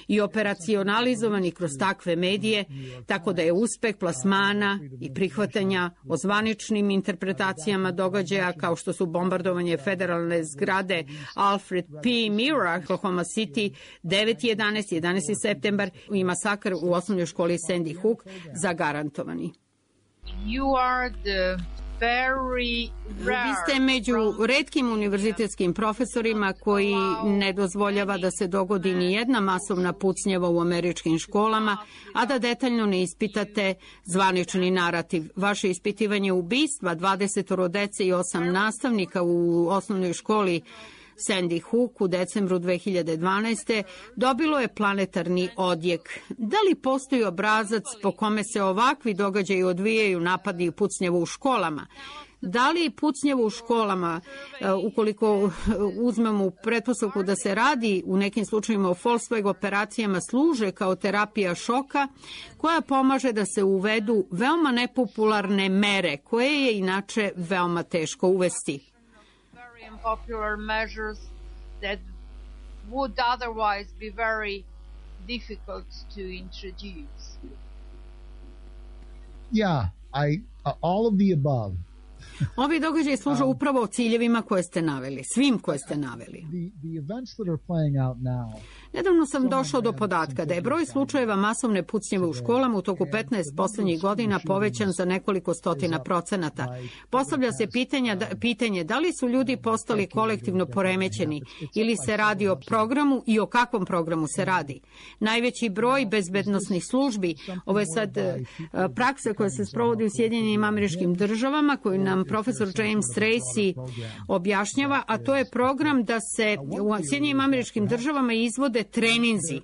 i operacionalizovani kroz takve medije, tako da je uspeh plasmana i prihvatanja o zvaničnim interpretacijama događaja kao što su bombardovanje federalne zgrade Alfred P. Mira, Oklahoma City, devet jedanaest, jedanaesti septembar i masakr u osnovnoj školi Sandy Hook zagarantovani. You are the very rare. Vi ste među retkim univerzitetskim profesorima koji ne dozvoljava da se dogodi ni jedna masovna pucnjava u američkim školama, a da detaljno ne ispitate zvanični narativ. Vaše ispitivanje ubistva dvadesetoro dece i osam nastavnika u osnovnoj školi Sandy Hook u decembru dve hiljade dvanaeste. dobilo je planetarni odjek. Da li postoji obrazac po kome se ovakvi događaji odvijaju, napadi i pucnjava u školama? Da li pucnjava u školama, ukoliko uzmemo u pretpostavku da se radi u nekim slučajima o false flag operacijama, služe kao terapija šoka koja pomaže da se uvedu veoma nepopularne mere koje je inače veoma teško uvesti? Popular measures that would otherwise be very difficult to introduce. Yeah, I uh, all of the above. Ovi događaji služe upravo ciljevima koje ste naveli, svim koje ste naveli. Nedavno sam došao do podatka da je broj slučajeva masovne pucnjave u školama u toku petnaest poslednjih godina povećan za nekoliko stotina procenata. Postavlja se pitanja, pitanje da li su ljudi postali kolektivno poremećeni ili se radi o programu i o kakvom programu se radi. Najveći broj bezbednosnih službi, ovo je sad praksa koja se sprovodi u Sjedinjenim Američkim Državama, koju nam profesor James Tracy objašnjava, a to je program da se u Sjedinjenim Američkim Državama izvode treninzi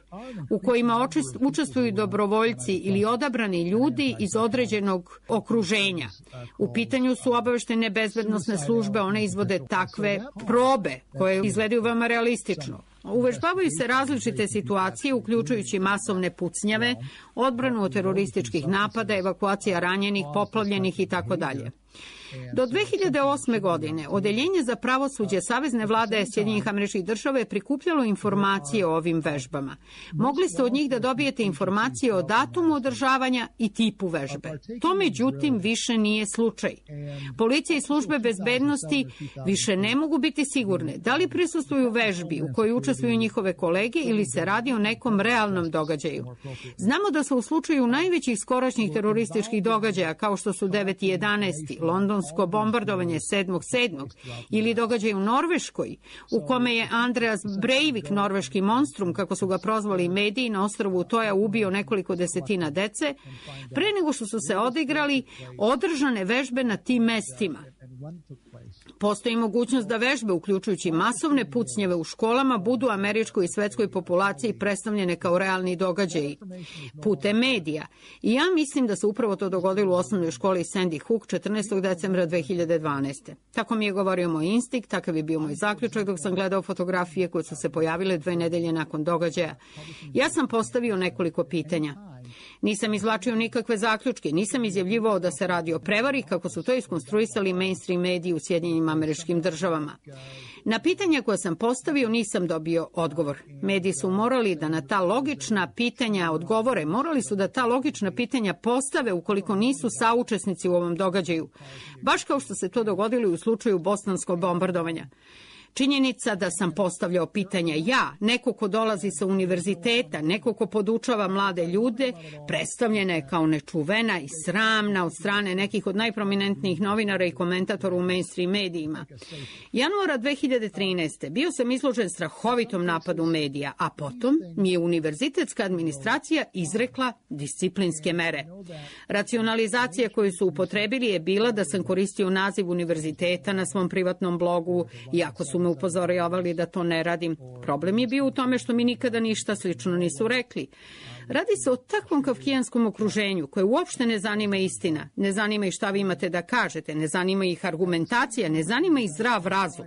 u kojima učestvuju dobrovoljci ili odabrani ljudi iz određenog okruženja. U pitanju su obaveštene bezbednosne službe, one izvode takve probe koje izgledaju veoma realistično. Uvežbavaju se različite situacije, uključujući masovne pucnjave, odbranu od terorističkih napada, evakuacija ranjenih, poplavljenih i tako dalje. Do dve hiljade osme. godine Odeljenje za pravosuđe Savezne vlade Sjedinjenih Američkih Država je prikupljalo informacije o ovim vežbama. Mogli ste od njih da dobijete informacije o datumu održavanja i tipu vežbe. To međutim više nije slučaj. Policija i službe bezbednosti više ne mogu biti sigurne da li prisustvuju vežbi u kojoj učestvuju njihove kolege ili se radi o nekom realnom događaju. Znamo da su u slučaju najvećih skorašnjih terorističkih događaja kao što su devet jedanaesti londonsko bombardovanje sedmog sedmog ili događaj u Norveškoj, u kome je Andreas Breivik, norveški monstrum, kako su ga prozvali mediji, na ostrvu Utoja ubio nekoliko desetina dece, pre nego što su se odigrali održane vežbe na tim mestima. Postoji mogućnost da vežbe, uključujući masovne pucnjeve u školama, budu američkoj i svetskoj populaciji predstavljene kao realni događaji putem medija. I ja mislim da se upravo to dogodilo u osnovnoj školi Sandy Hook četrnaestog decembra dve hiljade dvanaeste. Tako mi je govorio moj instinkt, takav je bio moj zaključak dok sam gledao fotografije koje su se pojavile dve nedelje nakon događaja. Ja sam postavio nekoliko pitanja. Nisam izvlačio nikakve zaključke, nisam izjavljivao da se radi o prevari, kako su to iskonstruisali mainstream mediji u Sjedinjenim Američkim Državama. Na pitanja koje sam postavio nisam dobio odgovor. Mediji su morali da na ta logična pitanja odgovore, morali su da ta logična pitanja postave ukoliko nisu saučesnici u ovom događaju, baš kao što se to dogodilo u slučaju bosanskog bombardovanja. Činjenica da sam postavljao pitanja ja, neko ko dolazi sa univerziteta, neko ko podučava mlade ljude, predstavljena je kao nečuvena i sramna od strane nekih od najprominentnijih novinara i komentatora u mainstream medijima. Januara dve hiljade trinaeste. bio sam izložen strahovitom napadu medija, a potom mi je univerzitetska administracija izrekla disciplinske mere. Racionalizacija koju su upotrebili je bila da sam koristio naziv univerziteta na svom privatnom blogu, iako su me upozoravali da to ne radim. Problem je bio u tome što mi nikada ništa slično nisu rekli. Radi se o takvom kafkijanskom okruženju koje uopšte ne zanima istina, ne zanima ih šta vi imate da kažete, ne zanima ih argumentacija, ne zanima ih zdrav razum.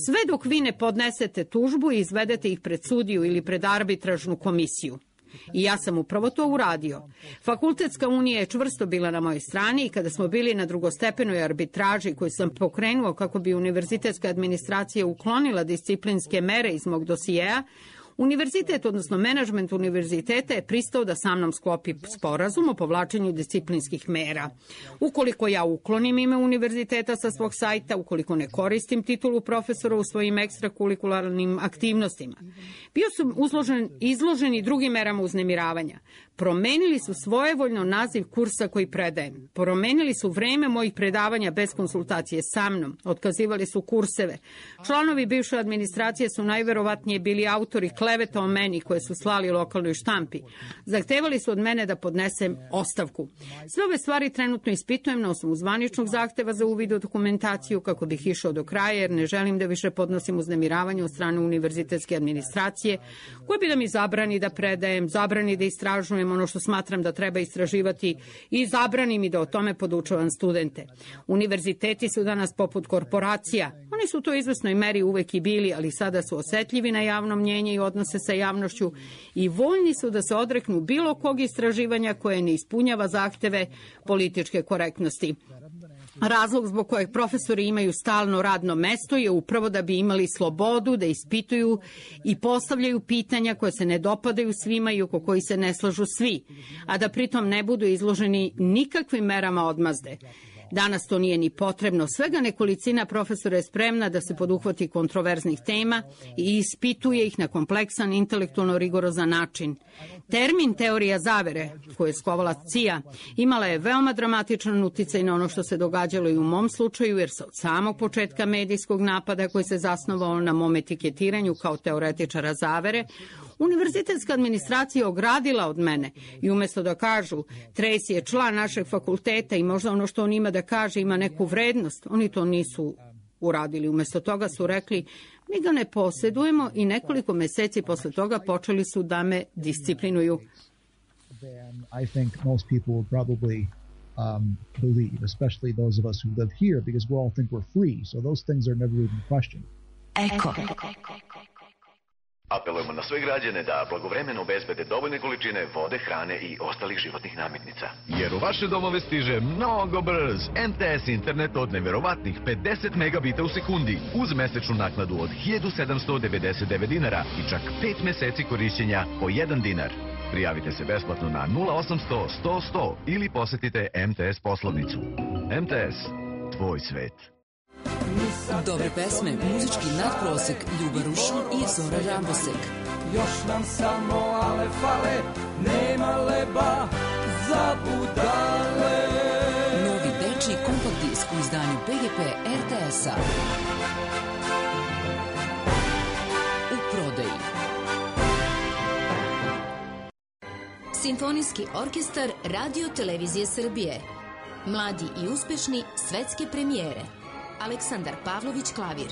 Sve dok vi ne podnesete tužbu i izvedete ih pred sudiju ili pred arbitražnu komisiju. I ja sam upravo to uradio. Fakultetska unija je čvrsto bila na mojoj strani i kada smo bili na drugostepenoj arbitraži koju sam pokrenuo kako bi univerzitetska administracija uklonila disciplinske mere iz mog dosijeja, univerzitet, odnosno menadžment univerziteta je pristao da sa mnom sklopi sporazum o povlačenju disciplinskih mera. Ukoliko ja uklonim ime univerziteta sa svog sajta, ukoliko ne koristim titulu profesora u svojim ekstrakurikularnim aktivnostima. Bio sam uzložen, izložen i drugim merama uznemiravanja. Promenili su svojevoljno naziv kursa koji predajem. Promenili su vreme mojih predavanja bez konsultacije sa mnom. Otkazivali su kurseve. Članovi bivše administracije su najverovatnije bili autori kleveta o meni koje su slali lokalnoj štampi. Zahtevali su od mene da podnesem ostavku. Sve ove stvari trenutno ispitujem na osnovu zvaničnog zahteva za uvid u dokumentaciju kako bih išao do kraja jer ne želim da više podnosim uznemiravanje od strane univerzitetske administracije koje bi da mi zabrani da predajem, zabrani da istražujem ono što smatram da treba istraživati i zabrani mi da o tome podučavam studente. Univerziteti su danas poput korporacija. Oni su to u izvesnoj meri uvek i bili, ali sada su osetljivi na javno mnjenje i odnose sa javnošću i voljni su da se odreknu bilo kog istraživanja koje ne ispunjava zahteve političke korektnosti. Razlog zbog kojeg profesori imaju stalno radno mesto je upravo da bi imali slobodu da ispituju i postavljaju pitanja koje se ne dopadaju svima i oko koji se ne slažu svi, a da pritom ne budu izloženi nikakvim merama odmazde. Danas to nije ni potrebno. Svega nekolicina profesora je spremna da se poduhvati kontroverznih tema i ispituje ih na kompleksan, intelektualno rigorozan način. Termin teorija zavere, koju je skovala C I A, imala je veoma dramatičan uticaj na ono što se događalo i u mom slučaju, jer se od samog početka medijskog napada koji se zasnovao na mom etiketiranju kao teoretičara zavere, univerzitetska administracija ogradila od mene i umjesto da kažu Tracy je član našeg fakulteta i možda ono što on ima da kaže ima neku vrednost, oni to nisu uradili. Umjesto toga su rekli mi ga ne posjedujemo i nekoliko meseci posle toga počeli su da me disciplinuju. I think most people would probably um, believe, especially those of us who live here, because we all think we're free, so those things are never even questioned. Ecco. Apelujemo na sve građane da blagovremeno obezbede dovoljne količine vode, hrane i ostalih životnih namirnica. Jer u vaše domove stiže mnogo brz M T S internet od neverovatnih pedeset megabita u sekundi uz mesečnu naknadu od hiljadu sedamsto devedeset devet dinara i čak pet meseci korišćenja po jedan dinar. Prijavite se besplatno na nula osamsto sto sto ili posetite M T S poslovnicu. M T S, tvoj svet. Dobre pesme, muzički nadprosek, Ljuba Rušun i Zora Rambosek. Još nam samo ale fale, nema leba za budale. Novi dečiji kompakt disk u izdanju P G P R T S-a. U prodaji. Simfonijski orkestar Radio Televizije Srbije. Mladi i uspešni svetske premijere. Aleksandar Pavlović klavir.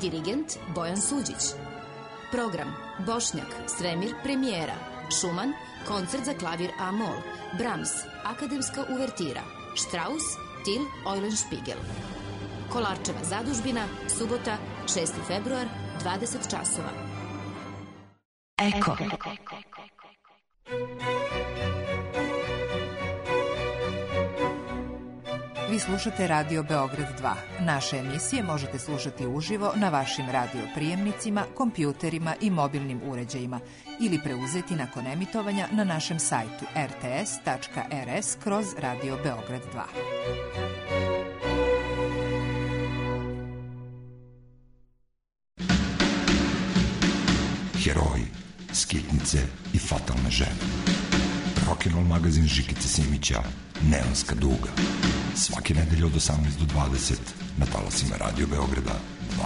Dirigent Bojan Suđić. Program Bošnjak, Svemir premijera. Šuman, koncert za klavir A-mol. Brahms, akademska uvertira. Strauss, Till Eulenspiegel. Kolarčeva zadužbina, subota, šesti februar, dvadeset časova. Eko. Vi slušate Radio Beograd dva. Naše emisije možete slušati uživo na vašim radio prijemnicima, kompjuterima i mobilnim uređajima ili preuzeti nakon emitovanja na našem sajtu r t s tačka r s kroz Radio Beograd dva. Heroji, skitnice i fatalne žene. Rock'n'roll magazin Žikice Simića, Neonska duga. Svake nedelje od osamnaest do dvadeset na talasima Radio Beograda dva.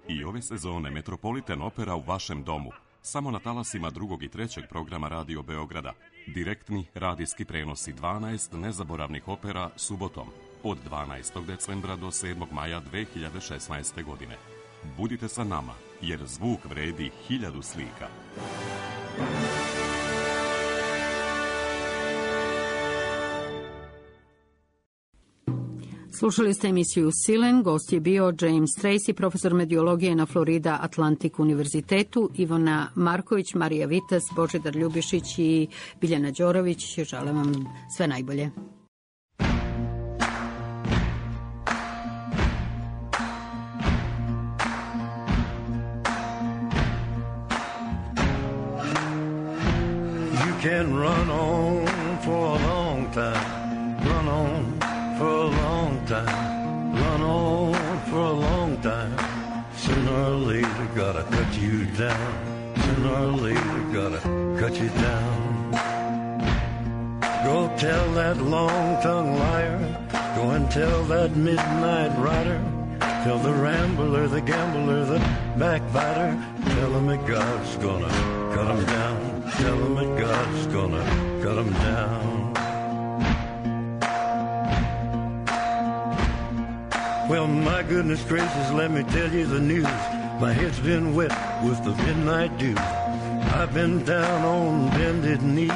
I ove sezone Metropolitan Opera u vašem domu. Samo na talasima drugog i trećeg programa Radio Beograda. Direktni radijski prenosi dvanaest nezaboravnih opera subotom od dvanaestog decembra do sedmog maja dve hiljade šesnaeste. godine. Budite sa nama, jer zvuk vredi hiljadu slika. Slušali ste emisiju Silen, gost je bio James Tracy, profesor mediologije na Florida Atlantic univerzitetu, Ivona Marković, Marija Vitas, Božidar Ljubišić i Biljana Đorović. Želim vam sve najbolje. Can run on for a long time, run on for a long time, run on for a long time. Sooner or later gotta cut you down, sooner or later gotta cut you down. Go tell that long-tongued liar, go and tell that midnight rider, tell the rambler, the gambler, the backbiter, tell him that God's gonna cut him down. Tell him that God's gonna cut him down. Well, my goodness gracious, let me tell you the news. My head's been wet with the midnight dew. I've been down on bended knee,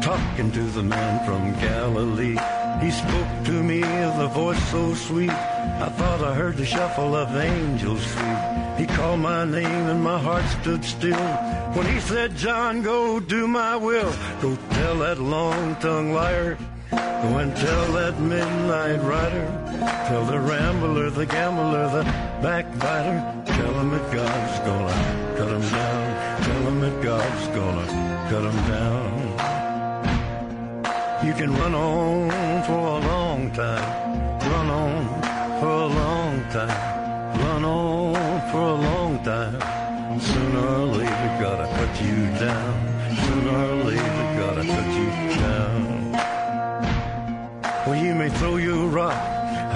talking to the man from Galilee. He spoke to me with a voice so sweet, I thought I heard the shuffle of angels sweet. He called my name and my heart stood still when he said, John, go do my will. Go tell that long-tongued liar, go and tell that midnight rider, tell the rambler, the gambler, the backbiter, tell him that God's gonna cut him down, tell him that God's gonna cut him down. You can run on for a long time, run on for a long time, run on for a long time. Sooner or later gotta cut you down, sooner or later gotta cut you down. Well, you may throw your rock,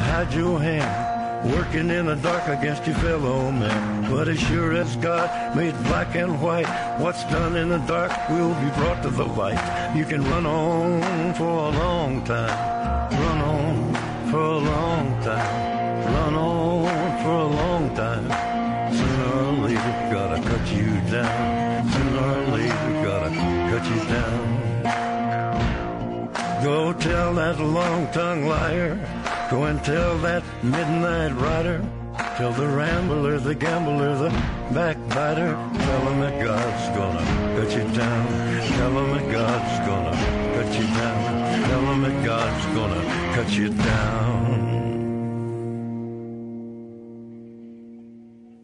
hide your hand, working in the dark against your fellow man. But as sure as God made black and white, what's done in the dark will be brought to the light. You can run on for a long time, run on for a long time, run on for a long time. Sooner or later gotta cut you down, sooner or later gotta cut you down. Go tell that long-tongued liar. Go and tell that midnight rider. Tell the rambler, the gambler, the backbiter. Tell him that God's gonna cut you down. Tell him that God's gonna cut you down. Tell him that God's gonna cut you down.